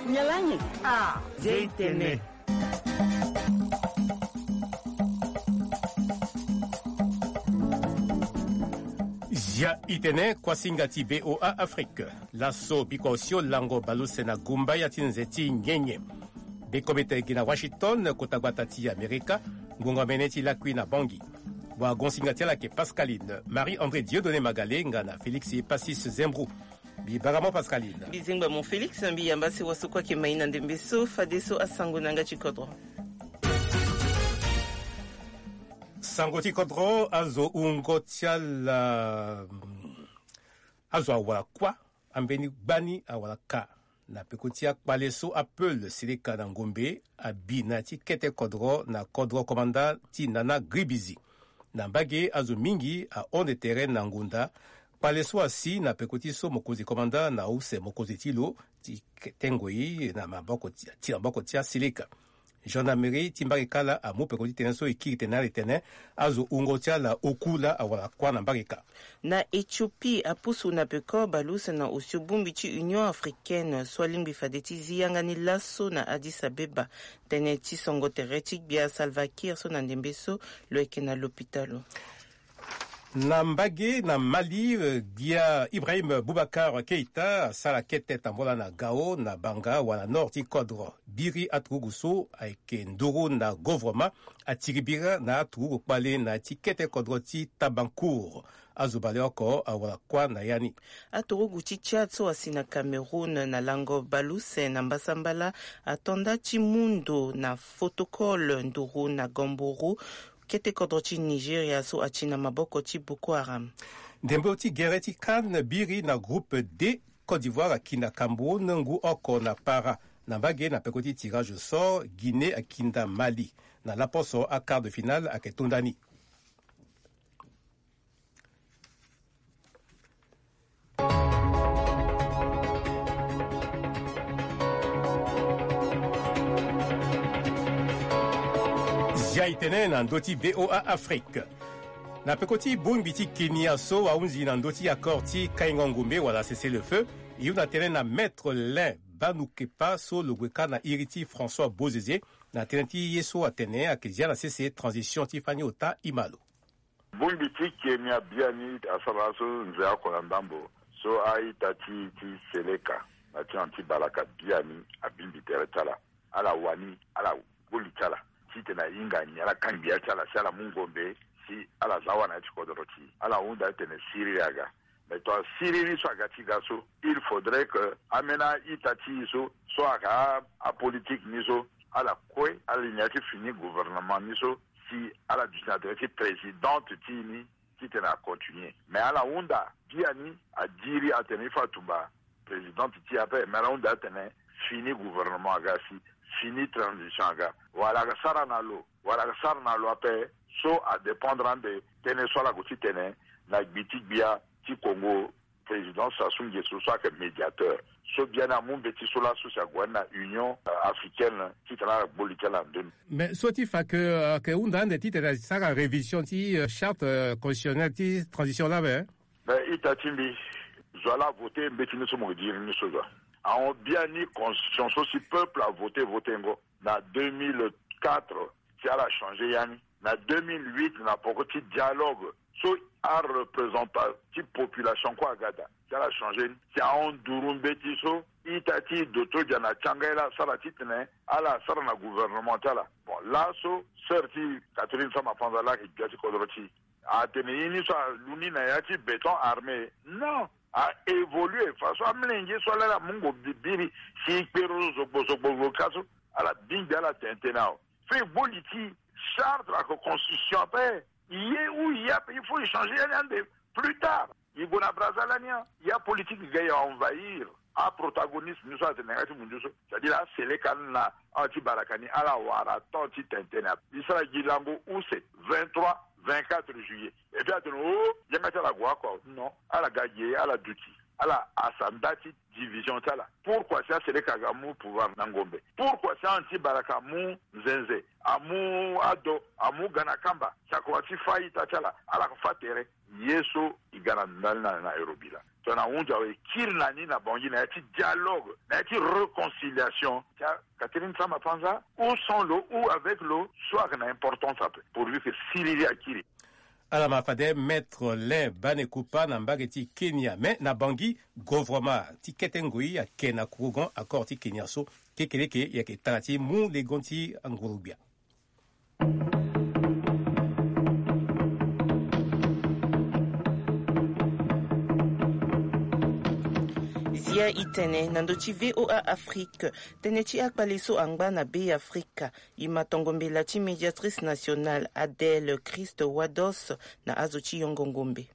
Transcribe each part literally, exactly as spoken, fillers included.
Nyalangi. Ah, J T N. Zia itene kuasinga ti V O A Afrique. Laso biko osio lango baluse na gumba ya ti nze ti nyenye. Biko bete gi na Washington, kota gbata ti Amerika, ngonga mene ti lakui na Bangui. Wagonsinga ti ala ke Pascaline, Marie-André Dieudonné Magale nga na Félix Passis Zembrou. Mbi bara mo Pascaline. Mbi zingba mo Félix, mbi yamba si waso kue ake mai na ndembe so, fadeso asango na yanga ti kodro. Sango ti kodro, azo wungo ti ala, mm, azo awara kuâ, ambeni gbani awara ka. Na peko ti akpale so apeul Seleka na Ngombe abi na ya ti kete kodro na kodro komanda ti Nana Gribizi. Na mbage azo mingi ahon tere na ngonda. Kpale so asi na peko ti so mokonzi komanda na use mokonzi ti lo ti ke-, tengo ye na maboko ti, ti na maboko ti aSeleka. Gendarmerie ti mbage kâ laa amu peko ti tënë so e kiri tene na ala tene azo wungo ti ala oku laa awara kuâ na mbage kâ. Na Éthiopie, apusu na peko bale use na osio bongbi ti Union africaine so alingbi fade ti zi yanga ni laso na Addis Abeba. Tënë ti songo tere ti gbia Salva Kiir so na ndembe so lo yeke na lopitalo. Na mbage na Mali, eh, gbia Ibrahim Boubacar Keita asara kete tambola na Gao na banga wala nord ti kodro. Biri aturugu so ayeke nduru na govrema atiri bira na aturugu kpale na ya ti kete kodro ti Tabancourt. Azo bale oko awara kuâ na ya ni. Aturugu ti Tchad so asi na Cameroun na lango bale use na mbasambala ato nda ti mu ndo na Fotokol nduru na Gamboro, kete kodro ti Nigeria so ati na maboko ti Boko Haram. Ndembo ti gere ti CAN biri na groupe D, Côte d'Ivoire aki na Cameroun ngu oko na para. Na mbage na peko ti tirage au sort, Guinée aki nda Mali. Na laposo aquart de finale ake to nda ni. Zia itene na ndö ti V O A Afrique. Na peko ti bongbi ti Kenya so ahunzi na ndö ti accord ti kaingo ngombe wala cessez-le-feu, e hunda tënë na Maître Lin Banukepa so lo gue kâ na iri ti François Bozizé, na tënë ti ye so atene ayeke zia na sese transition ti fani ota e ma lo. Bongbi ti Kenya biani asara laso nze oko na ndambo so a-ita ti, ti Seleka na ti anti-balaka biani abingbi tere ti ala. Ala wani, ala koli ti ala titene ahinga ni, ala kangbi ya ti ala si ala mu ngombe, si ala za wani na ya ti kodoro ti e. Ala hunda atene siriri aga. Mais tongana siriri so aga ti ga so, il faudrait que ambeni a-ita ti e so, so ayeke a, apolitike ni so, ala kue, ala li na ya ti fini gouvernement ni so, si ala duti na tere ti présidente ti e ni, titene acontinuer. Mais ala hunda biani, adiri atene il faut atumba présidente ti e ape, mais ala hunda atene fini gouvernement aga si, fini transition aga. Wala aga sara na lo, wala aga sara na lo ape, so adépendre ande tënë so ala gue ti tene na gbi ti gbia ti Congo, président Sassou Nguesso so ayeke médiateur. So biani amu mbeti so laso si ague wani na Union, euh, africaine titene ala gbo li ti ala na ndö ni. Mais so ti fa ke, euh, ayeke hunda ande titene asara révision ti, euh, charte, euh, constitutionnelle ti transition laa awe, hein? Mais ita ti mbi, zo ala voté mbeti ni so mo yeke diri ni so zo. Ahon biani constitution so si peuple avoté, voténgo na deux mille quatre, si ala changé ya ni. Na deux mille huit, na poko ti dialogue so areprésentant ti population kue aga daa, si ala changé ni. Si ahon nduru mbeti so ita ti doto dia na tianga ye laa asara titene ala sara na gouvernement ti ala. Bon, laso sœur ti Catherine Samba-Panza laa ayeke gbia ti kodro ti e, atene ye ni so alu ni na ya ti béton armé. Non, a évolué façon amolenge so ala, ala mungo bi-, biri si kpero zo zogbo zogbo zo ka so, ala bingbi ala tene tënë awe. Fo e gbo li ti charte ake constitution ape. Ye ou ye ape, il faut échanger ya ni ande plus tard. E gue na Brazza lani, ya politique ga e envahir aprotagoniste ni so atene na yanga ti mundu so. C'est-à-dire aSeleka na anti-balaka ni ala wara temps ti tene tënë ape. E sara gi lango use vingt-trois, vingt-quatre juillet. Et puis atene o, yanga ti ala gue oko. Non, ala ga ge, ala duti. Ala asa nda ti division ti ala. Pourquoi si aSeleka aga amu pouvoir na ngombe? Pourquoi si anti-balaka amu nzenze, amu ado, amu ga na kamba? Si akoma ti fâ a-ita ti ala, ala ko fâ tere. Ye so e ga na ndali na, na Nairobi laa, Tongana ahunzi awe, e kiri na ni na Bangui na ya ti dialogue, na ya ti réconciliation. Catherine Samba Panza, ou sans lo ou avec lo, so ayeke na importance ape, pourvu que siriri akiri. Ala ma fade Maître Lain Banekupa na mbage ti Kenya. Me na Bangui, gouvernement ti kete ngoi ayeke na kurugon accord ti Kenya so. Kekeleke e yeke tara ti mu legon ti anguru-gbia. Zia e tene na ndö ti V O A Afrique, tënë ti akpale so angba na Be Afrika. E ma tongo mbela ti médiatrice nationale Adèle Christ Wados na azo ti yongo ngombe.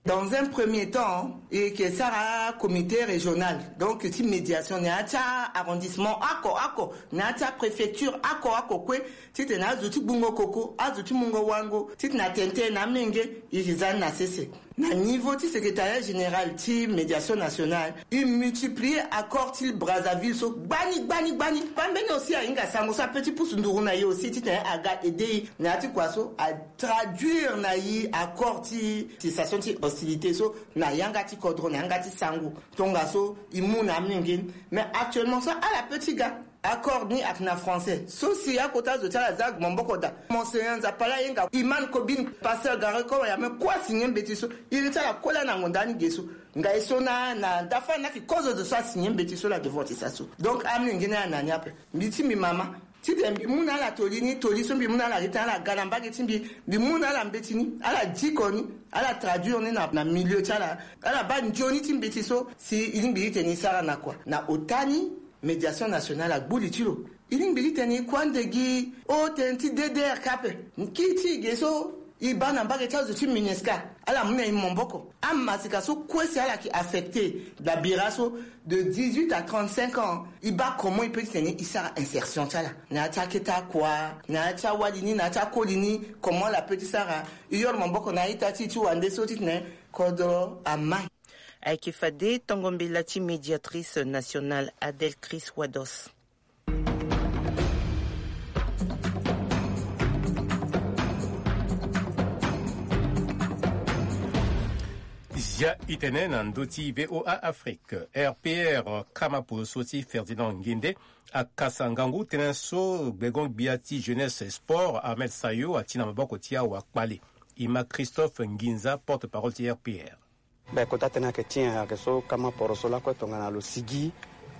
Dans un premier temps, e yeke sara comité régional, donc ti médiation na ya ti arrondissement oko oko, na ya ti préfecture oko oko kue, titene azo ti gbungo koko, azo ti mungo wango, titene atene tënë na amenge, e yeke za ni na sese. Na niveau ti secrétariat général ti médiation nationale, e multiplier accord ti Brazzaville so gbani gbani gbani. Pambeni aussi ahinga sango so ape ti pusu nduru na e aussi titene aga aider e na ya ti kua so a traduire na e accord ti cessation ti hostilité so na yanga ti kodro, na yanga ti sango. Tongaso e mu na amenge ni. Mais actuellement so ala pe ti ga. Accord ni ayeke na français. So si akota zo ti ala za maboko daa. Monseigneur Nzapala Yenga, Imam Kobine, Pasteur Garry Conille, aye me kue asigner mbeti so. Iri ti ala kue laa na ngonda ni ge so. Ngai so na, na dafa ni ayeke kozo zo so asigner mbeti so laa devant ti sa so. Donc amenge ni ala na ni ape. Mbi ti mbi mama. Titene mbi mu na ala toli ni, toli so mbi mu na ala gi tene ala ga na mbage ti mbi, mbi mu na ala mbeti ni, ala diko ni, ala traduire ni na, na milieu ti ala, ala baa nzoni ti mbeti so, si e lingbi titene e sara na kua. Na ota ni, médiation nationale agbu li ti lo. E lingbi titene e kue ande gi o tënë ti D D R K ape. Kiri ti e ge so, e baa na mbage ti azo ti MINUSCA, ala mu na e maboko. Amasika so kue si ala yeke affecté, dabira so, de dix-huit à trente-cinq ans, e baa comment e peut titene e sara insertion ti ala na ya ti akete akua, na ya ti awali ni, na ya ti akoli ni, comment ala peut ti sara. E yoro maboko na a-ita ti e ti wande so titene kodro amai. Ayeke fade tongo mbela ti médiatrice nationale Adèle Christ Wados. Zia e tene na ndö ti V O A Afrique. R P R kama poroso ti Ferdinand Ngende akasa ngangu tënë so gbengo-gbia ti jeunesse sport Ahmed Sayo ati na maboko ti awakpale. E ma Christophe Nginza, porte-parole ti R P R. Be kota tënë ayeke ti nyen? Ayeke so kama poroso lakue tongana lo sigi,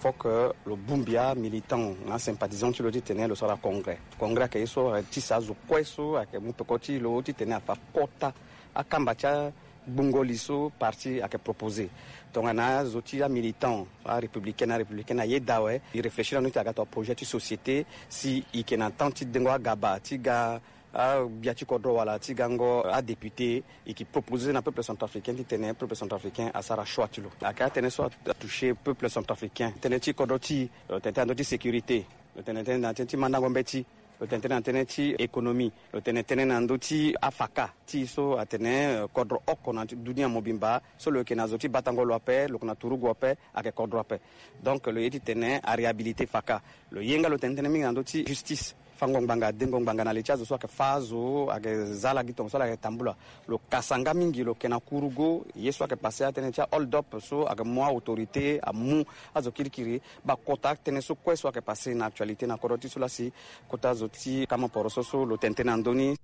faut que lo bongbi amilitant na asympathisant ti lo titene lo sara congrès. Congrès ayeke ye so ayeke ti sa azo kue so ayeke mu peko ti lo titene afa kota akamba ti agbungo li so parti ayeke proposé. Tongana azo ti amilitant, arépublicain na arépublicaine ayeda awe, e réfléchir na ndö ti aga tonga projet ti société, si e yeke na temps ti dengo agaba ti ga agbia ti kodro wala ti gango adéputé, e yeke proposé na peuple centrafricain titene peuple centrafricain asara choix ti lo. Ayeke atënë so atouché peuple centrafricain. Tënë ti kodro ti e, lo tene tënë na ndö ti sécurité, lo tene tënë na tënë ti mandango mbeti, lo tene tënë na tënë ti économie, lo tene tënë na ndö ti afaka ti e so atene, eh, kodro oko na dunia mobimba so lo yeke na zo ti batango lo ape, lo yeke na turugu ape, ayeke kodro ape. Donc lo ye titene aréhabilité faka. Lo ye nga lo tene tënë mingi na ndö ti justice. Fango ngbanga, dengo ngbanga na li ti azo so ayeke fâ azo, ayeke za ala gi tongaso ala yeke tambula. Lo kasa nga mingi, lo yeke na kurugo, ye so ayeke passé atënë ti a-hold-up so ayeke mu a-autorité amu azo kirikiri. Bakota atënë so kue so ayeke passé na actualité na kodro ti so laa si kota zo ti kama poroso so lo tene tënë na ndö ni.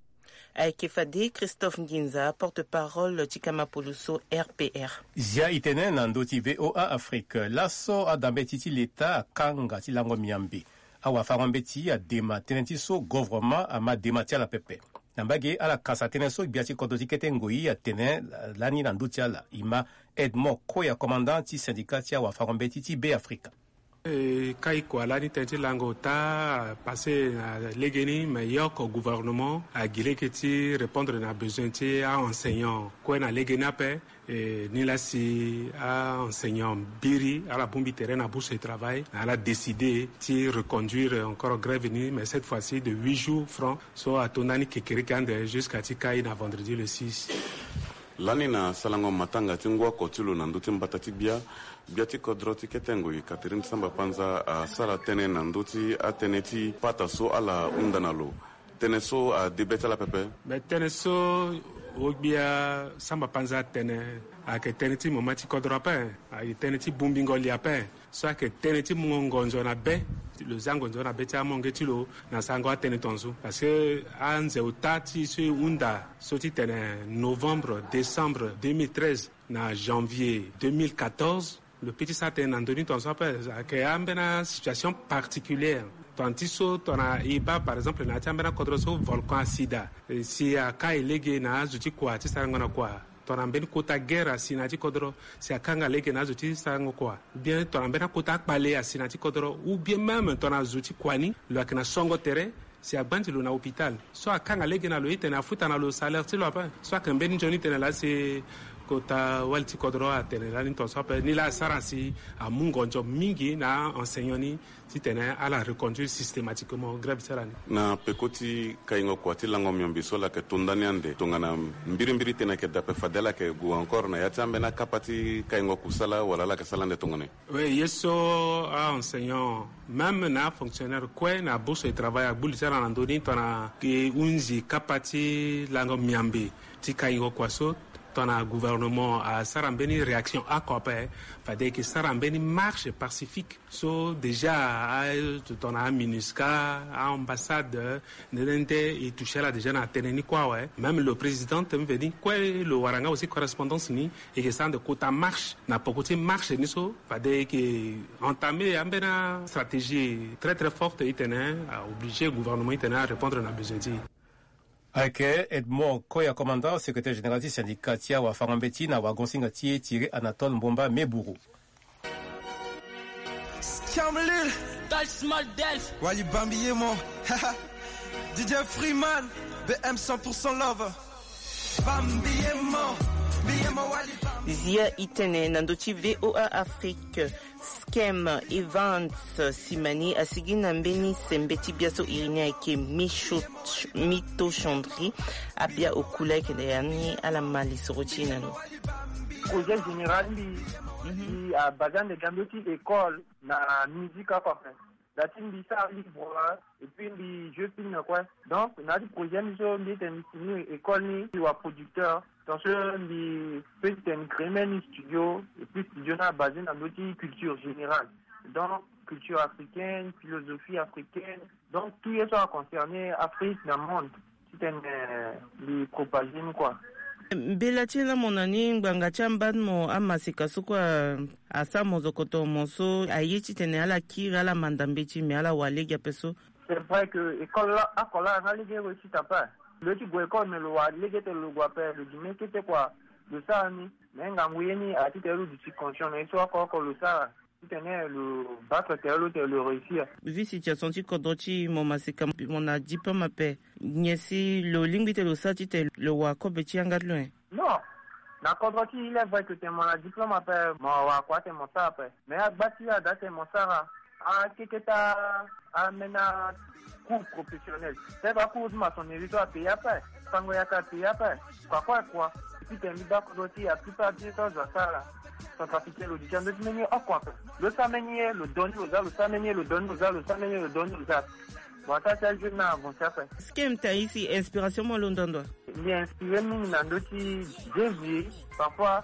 Ayeke fade Christophe Nginza, porte-parole ti kama poroso R P R. Zia e tene na ndö ti V O A Afrique. Laso adambeti ti leta akanga ti lango miambe. Awafango-mbeti adema tënë ti so gouvernement ama dema ti ala pepe. Na mbage ala kasa tënë so gbia ti kodro ti kete ngoi atene lani na ndö ti ala. E ma Edmond Koya, commandant ti syndicat ti awafango-mbeti ti Be Afrika. E kai kua lani tënë ti lango ota apassé na legeni, me ye oko gouvernement agi lege ti répondre na besoin ti a-enseignant kue na legeni ape. E, nilaa si a-enseignant mbiri ala bongbi tere na bourse de travail, na ala décidé ti reconduire encore grève ni, mais cette fois-ci de huit jours francs, so ato ndani kekereke ande jusqu'à ti kai na vendredi le six. Lani na sarango matanga ti ngu oko ti lo na ndö ti mbata ti bia, gbia ti kodro ti kete ngoi Catherine Samba Panza asara tënë na ndö ti atënë ti pata so ala hunda na lo. Tënë so ade be ti ala pepe. Me tënë so Ogbia samba panza atene ayeke tënë ti mama ti kodro ape, ayeke tënë ti bongbingo li ape. So ayeke tënë ti mungo ngonzo na be, ti lo za ngonzo na be ti amonge ti lo na sarango atënë tongaso. Parce que anze ota ti so e hunda so titene novembre, décembre deux mille treize na janvier deux mille quatorze, lo pe ti sara tënë na ndö ni tongaso ape. Ayeke ambeni asituation particulière. Tongana ti so tongana e baa par exemple na ya ti ambeni akodro so volcan asi daa, si aka e lege na azo ti kua ti sarango na kua. Tongana mbeni kota guerre asi na ya ti kodro, si akanga lege na azo ti sarango kua. Ou bien tongana mbeni akota akpale asi na ya ti kodro, ou bien même tongana zo ti kua ni lo yeke na songo tere, si agbandi lo na hôpital, so akanga lege na lo, e tene afuta na lo salaire ti lo ape. So ayeke mbeni nzoni tene laa si kota wali ti kodro atene lani tongaso ape. Ni laa asara si amu ngonzo mingi na aenseignant ni titene ala reconduire systématiquement grève ti ala ni. Na peko ti kaingo kua ti lango miombe so ala yeke to ndani ande tongana mbirimbiri tënë ayeke daa ape, fade ala yeke gue encore na ya ti ambeni akapa ti kaingo kusala wala ala yeke sara ande tongana nyen? Oui, ye so aenseignant, même na afonctionnaire kue na bourse de travail agbu li ti ala na ndö ni tongana e hunzi kapa ti lango miombe ti kaingo kua so, tongana gouvernement asara mbeni réaction oko ape, fade e yeke sara mbeni marche pacifique. So déjà a tongana aMINUSCA, aambassade, nde nde nde e touché ala déjà na tënë ni kue awe. Même lo président ti Museveni kue lo wara nga aussi correspondance ni, e yeke sara ande kota marche. Na poko ti marche ni so fade e yeke entamé ambeni astratégie très très forte, e tene aobligé gouvernement e tene arépondre na besoin ti e. Ayeke Edmond Koya, commandant, secrétaire général ti syndicat ti awafango-mbeti na wagosinga ti e, Thierry Anatole Mbomba Meburu. Scamlil. Touch small dance. Wali Bambi Yemo. D J Freeman. B M cent pour cent love. Bambi Yemo. Biyemo Wali Bambi. Zia itene na ndö ti V O A Afrique. Skem Evans Simani asigi na mbeni sembe ti bia so iri ni ayeke Micho-, Mito Chandri. Abia okula ayeke na ya ni, ala ma lisoro ti e na lo. Projet général mbi, mbi abasé ande ga mbi ti école na musique oko ape. Dati mbi sara livre et puis mbi joue film kue. Donc na ya ti projet mbi so mbi tene mbi fini école ni, mbi wa producteur. Donc so mbi peut tene créer même studio, et puis studio ni abasé na ndö ti culture générale. Donc culture africaine, philosophie africaine. Donc tout ye so aconcerné Afrique na monde. Titene mbi propagé ni kua. Mbela ti la mo na ni ngbanga ti ambani mo amaseka so kue asara mo zokoto mo so aye titene ala kiri ala manda mbeti me ala wa lege ape so. C'est vrai que école la, oko la nga lege réussite ape. Lo ye ti gue école me lo wa lege tene lo gue ape, lo duti me kete kua. Lo sara ni. Mais ngangu ye ni aye titene lo duti conscient na ye so oko oko lo sara. Titene lo baa tere lo tene lo réussir. Vu situation ti kodro ti mo maseka mo na diplôme ape, nyen si lo lingbi tene lo sara titene lo wa kobe ti yanga ti lo nyen? Non. Na kodro ti il est vrai que tene mo na diplôme ape mo wa kua tene mo sara ape. Mais agba ti ala daa tene mo sara akeketa ambeni cours professionnel. Peut-être acours ti maçonnerie so apaye ape. Sango yaka apaye ape. Kua kue kua. Titene mbi baa kodro ti la plupart ti ye so azo asara. Centrafricain lo duti na ndö ti mbeni ye oko ape. Lo sara mbeni ye lo donné lo za, lo sara mbeni ye lo donné lo za, lo sara mbeni ye lo donné lo za. Bon, asara ti ajeune ni avancé ape. Skem Taïsi, inspiration mo alondo ndo? Mbi inspiré mingi na ndö ti Jay-Z, parfois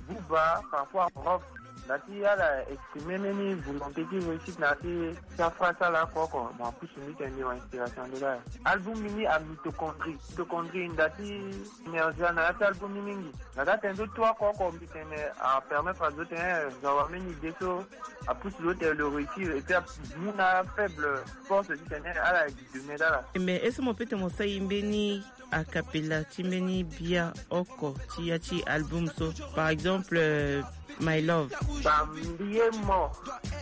Booba, parfois Rof. Nda ti ala exprimé mbeni volonté ti réussite na ya ti ti afra ti ala oko oko. Mo apusu mbi tene mbi wa inspiration nde laa. Album ni amitochondrie. Mitochondrie nda ti énergie na ya ti album ni mingi. Na daa tene so tout oko oko mbi tene apermettre azo tene zo awa mbeni idée so apusu lo tene lo réussir et puis amu na faible force ti tene ala duti dunia ti ala. Mais est-ce que mo peut tene mo sara e mbeni a cappella ti mbeni bia oko ti ya ti album so, par exemple, euh, My Love. Bambi ye mo,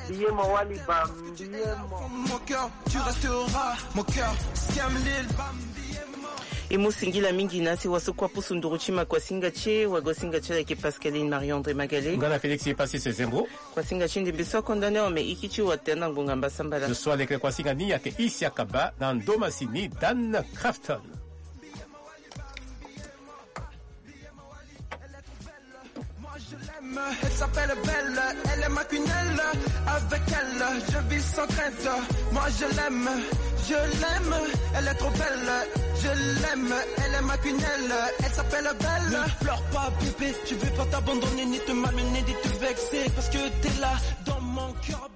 mbi ye mo wali bambi ye mo. Mon cœur, tu resteras mon cœur. Skem Lil, bambi ye mo. E mu singila mingi na si waso kua pusu nduru ti ma kuasinga ti e, wagosinga ti e ayeke Pascaline Marie André Magalé. Nga na Félix e pasi se zembo. Kuasinga ti ndembe so akonda ni awe me iki ti watene na ngbonga mbasambala. Zo so aleke kuasinga ni ayeke Isi Akaba na ndo masini Dan Crafton. Elle s'appelle Belle, elle est maquinelle. Avec elle, je vis sans crainte. Moi je l'aime, je l'aime. Elle est trop belle, je l'aime. Elle est maquinelle, elle s'appelle Belle. Ne pleure pas, bébé, je vais pas t'abandonner, ni te malmener, ni te vexer. Parce que t'es là dans mon cœur.